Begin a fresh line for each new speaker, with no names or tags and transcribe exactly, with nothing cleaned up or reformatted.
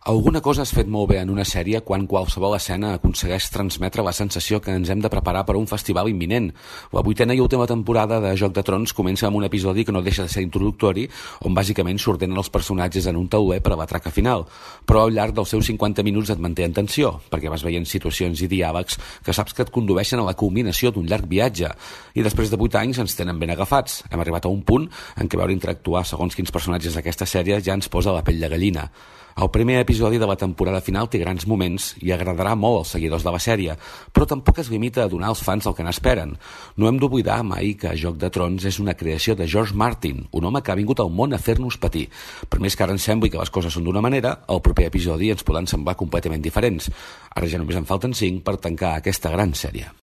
Alguna cosa has fet molt bé en una sèrie quan qualsevol escena aconsegueix transmetre la sensació que ens hem de preparar per a un festival imminent. La vuitena i última temporada de Joc de Trons comença amb un episodi que no deixa de ser introductori, on bàsicament s'ordenen els personatges en un tauler per a la traca final, però al llarg dels seus cinquanta minuts et manté en tensió, perquè vas veient situacions i diàlegs que saps que et condueixen a la culminació d'un llarg viatge. I després de vuit anys ens tenen ben agafats. Hem arribat a un punt en què veure interactuar segons quins personatges d'aquesta sèrie ja ens posa la pell de gallina. El primer episodi de la temporada final té grans moments i agradarà molt als seguidors de la sèrie, però tampoc es limita a donar als fans el que n'esperen. No hem d'oblidar mai que Joc de Trons és una creació de George Martin, un home que ha vingut al món a fer-nos patir. Per més que ara ens sembli que les coses són d'una manera, el proper episodi ens poden semblar completament diferents. Ara ja només en falten cinc per tancar aquesta gran sèrie.